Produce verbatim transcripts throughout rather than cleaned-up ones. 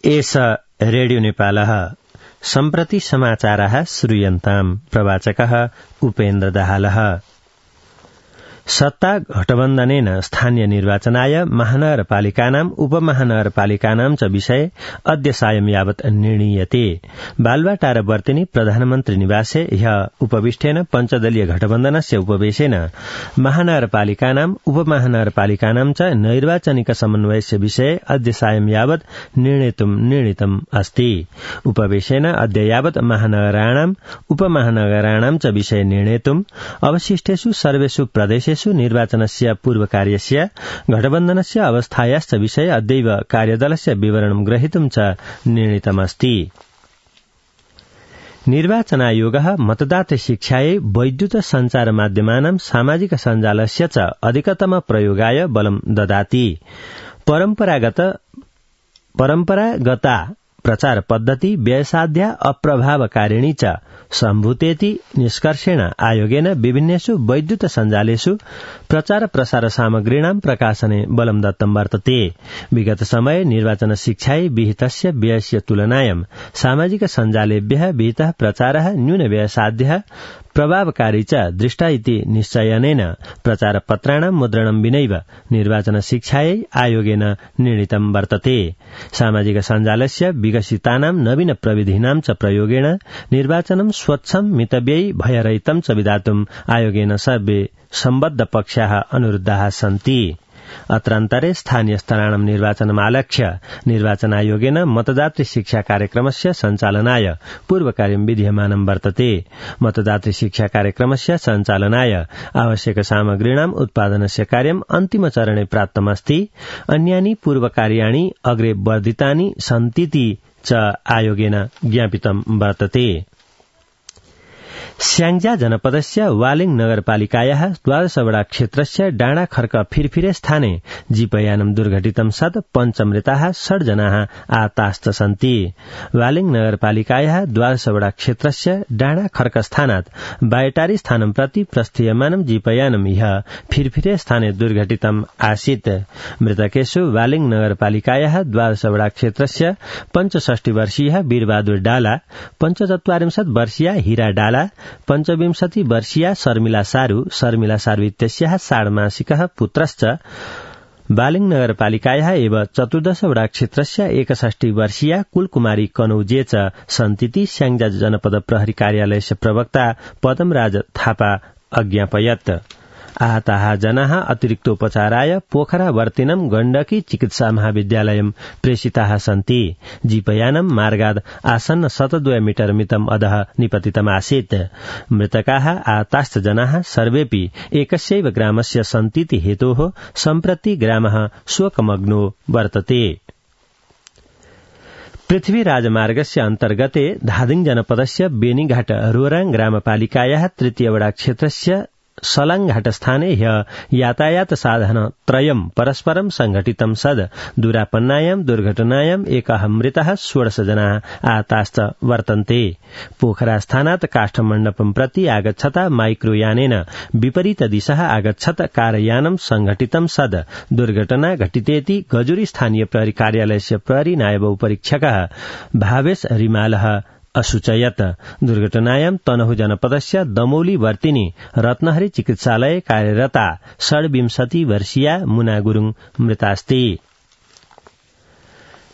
एष रेडियो नेपालः सम्प्रति समाचाराः श्रूयन्ताम्। प्रवाचकः उपेन्द्र दाहालः। सत्ता गठबन्धनेन स्थानीय निर्वाचनाय महानगरपालिकानाम् उपमहानगरपालिकानां च विषय अद्य सायं यावत् निर्णीयते। बालुवाटार वर्तिनी प्रधानमन्त्री निवासे ह्य उपविष्टेन पञ्चदलीय गठबन्धनस्य उपवेशेन महानगरपालिकानाम् उपमहानगरपालिकानां च नैर्वाचनिक समन्वयस्य विषय अद्य सायं यावत् निर्णेतुं निर्णीतम् अस्ति। उपवेशेन अद्य यावत् महानगराणाम् उपमहानगराणां च विषय निर्णेतुम् अवशिष्टेषु सर्वेषु प्रदेशेषु निर्वाचनस्य पूर्वकार्यस्य गठबन्धनस्य अवस्थायाश्च विषय अद्यैव कार्यदलस्य विवरणं ग्रहीतुं च निर्णीतमस्ति। निर्वाचनायोगः मतदातृ शिक्षायै वैद्युत सञ्चार माध्यमानां सामाजिक सञ्जालस्य च अधिकतम प्रयोगाय बलं ददाति। परम्परागत परम्परागता प्रचार पद्धति व्ययसाध्या अप्रभावकारिणी च सम्भूतेति निष्कर्षेण आयोगेन विभिन्नेषु वैद्युत सञ्जालेषु प्रचार प्रसार सामग्रीणां प्रकाशने बलं दत्तं वर्तते। विगत समये निर्वाचन शिक्षायै विहितस्य व्ययस्य तुलनायां सामाजिक सञ्जालेभ्यः विहितः प्रचारः न्यून व्ययसाध्यः प्रभावकारी च दृष्टा इति निश्चयनेन प्रचारपत्राणां मुद्रणं विनैव निर्वाचन शिक्षायै आयोगेन निर्णीतं वर्तते। सामाजिक सञ्जालस्य विकसितानां नवीन प्रविधीनां च प्रयोगेण निर्वाचनं स्वच्छं मितव्ययी भयरहितं च विधातुम् आयोगेन सर्वे सम्बद्ध पक्षाः अनुरुद्धाः सन्ति। अत्रान्तरे स्थानीय स्तराणां निर्वाचनमालक्ष्य निर्वाचन आयोगेन मतदातृ शिक्षा कार्यक्रमस्य सञ्चालनाय पूर्वकार्यं विधीयमानं वर्तते। मतदातृ शिक्षा कार्यक्रमस्य सञ्चालनाय आवश्यक सामग्रीणाम् उत्पादनस्य कार्यम् अन्तिम चरणे प्राप्तमस्ति। अन्यानि पूर्वकार्याणि अग्रे वर्धितानि सन्तीति च आयोगेन ज्ञापितं वर्तते। स्याङ्जा जनपदस्य वालिङ नगरपालिकायाः द्वादशवडा क्षेत्रस्य डाँडा खर्क फिरफिरे स्थाने जीपयानं दुर्घटितं सत् पञ्चमृताः षड् जनाः आहताश्च सन्ति। वालिङ नगरपालिकायाः द्वादशवडा क्षेत्रस्य डाँडा खर्क स्थानात् बायटारी स्थानं प्रति प्रस्थीयमानं जीपयानं ह्यः फिरफिरे स्थाने दुर्घटितम् आसीत्। मृतकेषु वालिङ नगरपालिकायाः द्वादशवडा क्षेत्रस्य पञ्चषष्टि वर्षीयः वीरबहादुर डाला, पञ्चचत्वारिंशत् वर्षीया हीरा डाला, पञ्चविंशति वर्षीया शर्मिला सारू, शर्मिला सारू इत्यस्याः षाड्मासिकः पुत्रश्च वालिङ नगरपालिकायाः एव चतुर्दशवडा क्षेत्रस्य एकषष्टि वर्षीया कुलकुमारी कनौजे च सन्तीति स्याङ्जा जनपद प्रहरी कार्यालयस्य प्रवक्ता पदमराज थापा अज्ञापयत्। आहताः जनाः अतिरिक्तोपचाराय पोखरा वर्तिनं गण्डकी चिकित्सा महाविद्यालयं प्रेषिताः सन्ति। जीपयानं मार्गाद् आसन्न शतद्वय मीटर मितम् अधः निपतितमासीत्। मृतकाः आहताश्च जनाः सर्वेऽपि एकस्यैव ग्रामस्य सन्तीति हेतोः सम्प्रति ग्रामः शोकमग्नो वर्तते। पृथ्वी राजमार्गस्य अन्तर्गते धादिङ जनपदस्य बेनीघाट रोराङ ग्रामपालिकायाः तृतीयवडा क्षेत्रस्य सलाङघाट स्थाने ह्यः यातायात साधन त्रयम् परस्परं संघटितं सद् दुरापन्नायां दुर्घटनायाम् एकः मृतः षोडश जनाः आहताश्च वर्तन्ते। पोखरा स्थानात् काष्ठमण्डपं प्रति आगच्छता माइक्रोयानेन विपरीत दिशः आगच्छत् कारयानं संघटितं सद् दुर्घटना घटितेति गजुरी स्थानीय प्रहरी कार्यालयस्य प्रहरी नायब उपरीक्षकः भावेश रिमालः असूचयत्। दुर्घटनायां तनहु जनपदस्य दमौली वर्तिनी रत्नहरी चिकित्सालये कार्यरता षड्विंशति वर्षीया मुना गुरुङ मृतास्ति।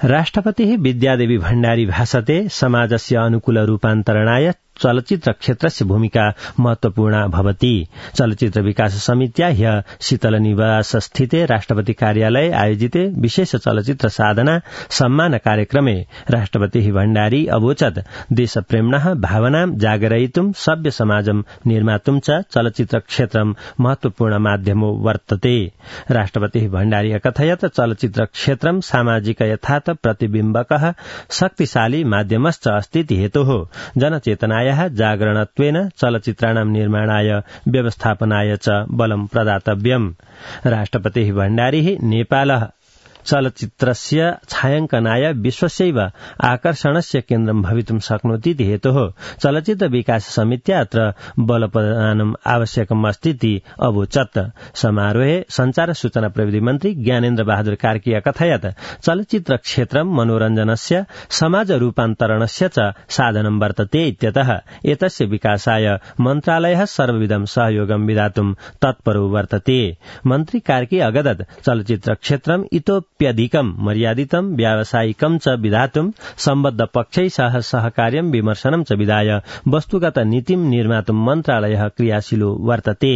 राष्ट्रपतिः विद्यादेवी भण्डारी भाषते समाजस्य अनुकूल रूपान्तरणाय चलचित्र क्षेत्रस्य भूमिका महत्वपूर्णा भवति। चलचित्र विकास समित्या ह्यः शीतल निवास स्थिते राष्ट्रपति कार्यालये आयोजिते विशेष चलचित्र साधना सम्मान कार्यक्रमे राष्ट्रपतिः भण्डारी अवोचत् देशप्रेम्णः भावनां जागरयितुं सभ्य समाजं निर्मातुं च चलचित्र क्षेत्रं महत्वपूर्ण माध्यमो वर्तते। राष्ट्रपतिः भण्डारी अकथयत् चलचित्र क्षेत्रं सामाजिक यथार्थ प्रतिबिम्बकः शक्तिशाली माध्यमश्च अस्तीति हेतोः जनचेतना जागरणत्वेन चलचित्राणां निर्माणाय व्यवस्थापनाय च बलं प्रदातव्यम्। राष्ट्रपतिः भण्डारी नेपालः चलचित्रस्य छायाङ्कनाय विश्वस्यैव आकर्षणस्य केन्द्रं भवितुं शक्नोतीति हेतोः चलचित्र विकास समित्या अत्र बलप्रदानम् आवश्यकम् अस्तीति अवोचत्। समारोहे संचार सूचना प्रविधि मन्त्री ज्ञानेन्द्र बहादुर कार्की अकथयत् चलचित्र क्षेत्रं मनोरञ्जनस्य समाज रूपान्तरणस्य च साधनं वर्तते इत्यतः एतस्य विकासाय मन्त्रालयः सर्वविधं सहयोगं विधातुं तत्परो वर्तते। मन्त्री कार्की अगदत् चलचित्र क्षेत्रम् इतोप्यधिकं मर्यादितं व्यावसायिकं च विधातुं सम्बद्ध पक्षै सह सहकार्यं विमर्शनं च विधाय वस्तुगत नीतिं निर्मातुं मन्त्रालयः क्रियाशीलो वर्तते।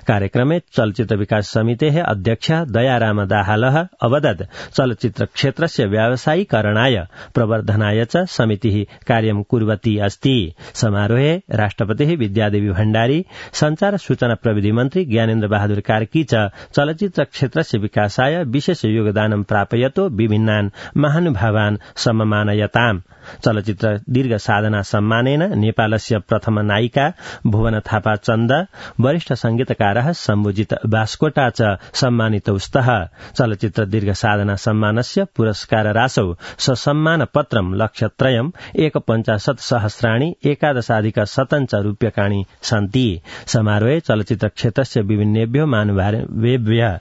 कार्यक्रमे चलचित्र विकास समितेः अध्यक्ष दयाराम दाहालः अवदत् चलचित्र क्षेत्रस्य व्यावसायीकरणाय प्रवर्धनाय च समितिः कार्यं कुर्वती अस्ति। समारोहे राष्ट्रपतिः विद्यादेवी भण्डारी संचार सूचना प्रविधि मन्त्री ज्ञानेन्द्र बहादुर कार्की च चलचित्र क्षेत्रस्य विकासाय विशेष योगदानं प्रापयतो विभिन्नान् महानुभावान् सम्मानयताम्। चलचित्र दीर्घ साधना सम्मानेन नेपालस्य प्रथम नायिका भुवन थापा चन्द, वरिष्ठ संगीतकारः शम्भुजित बास्कोटा च सम्मानितौ स्तः। चलचित्र दीर्घ साधना सम्मानस्य पुरस्कार राशौ ससम्मान पत्रं लक्षत्रयम् एक पञ्चाशत् सहस्राणि एकादशाधिक शतञ्च रूप्यकाणि सन्ति। समारोहे चलचित्र क्षेत्रस्य विभिन्नेभ्यो महानुभावेभ्यः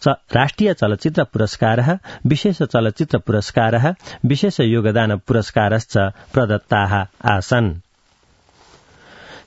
राष्ट्रिय चलचित्र पुरस्कारः, विशेष चलचित्र पुरस्कारः, विशेष योगदान पुरस्कारश्च प्रदत्ताः आसन्।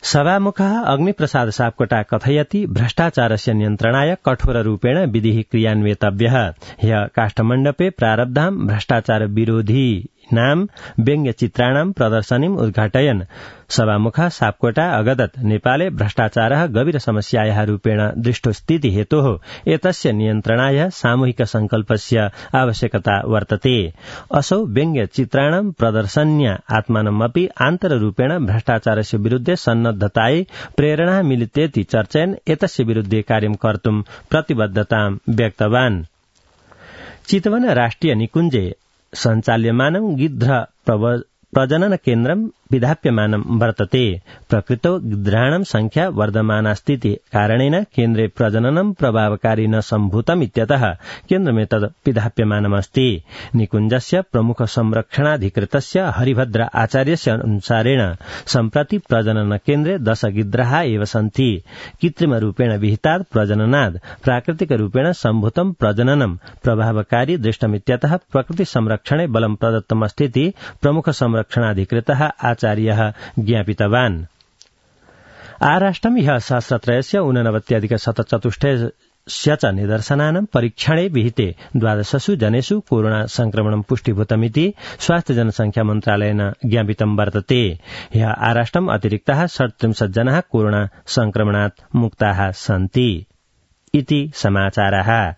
सभामुखः अग्निप्रसाद सापकोटा कथयति भ्रष्टाचारस्य नियन्त्रणाय कठोररूपेण विधिः क्रियान्वेतव्यः। ह्यः काष्ठमण्डपे प्रारब्धां भ्रष्टाचार विरोधी नाम व्यङ्ग्यचित्राणां प्रदर्शनीम् उद्घाटयन् सभामुखः सापकोटा अगदत् नेपाले भ्रष्टाचारः गभीर समस्यायाः रूपेण दृष्टोऽस्तीति हेतोः एतस्य नियन्त्रणाय सामूहिक संकल्पस्य आवश्यकता वर्तते। असौ व्यङ्ग्यचित्राणां प्रदर्शन्या आत्मानमपि आन्तररूपेण भ्रष्टाचारस्य विरुद्धे सन्नद्धतायै प्रेरणा मिलितेति चर्चयन् एतस्य विरुद्धे कार्यं कर्तुं प्रतिबद्धतां व्यक्तवान्। चितवन राष्ट्रिय निकुञ्जे सञ्चाल्यमानं गिद्ध प्रजनन केन्द्रं विधाप्यमानं वर्तते। प्रकृतौ गिद्धाणां संख्या वर्धमानास्तीति कारणेन केन्द्रे प्रजननं प्रभावकारी न सम्भूतम् इत्यतः केन्द्रमेतद् विधाप्यमानमस्ति। निकुञ्जस्य प्रमुख संरक्षणाधिकृतस्य हरिभद्र आचार्यस्य अनुसारेण सम्प्रति प्रजनन केन्द्रे दश गिद्धाः एव सन्ति। कृत्रिमरूपेण विहितात् प्रजननात् प्राकृतिकरूपेण सम्भूतं प्रजननं प्रभावकारी दृष्टमित्यतः प्रकृति संरक्षणे बलं प्रदत्तमस्तीति प्रमुख संरक्षणाधिकृतः आचार्यः ज्ञापितवान्। आराष्ट्रं ह्यः सहस्रत्रयस्य ऊननवत्यधिक शतचतुष्टयस्य च निदर्शनानां परीक्षणे विहिते द्वादशसु जनेषु कोरोना संक्रमणं पुष्टीभूतमिति स्वास्थ्य जनसंख्या मन्त्रालयेन ज्ञापितं वर्तते। ह्यः आराष्ट्रम् अतिरिक्ताः षट्त्रिंशत् जनाः कोरोना संक्रमणात् मुक्ताः सन्ति इति समाचारः।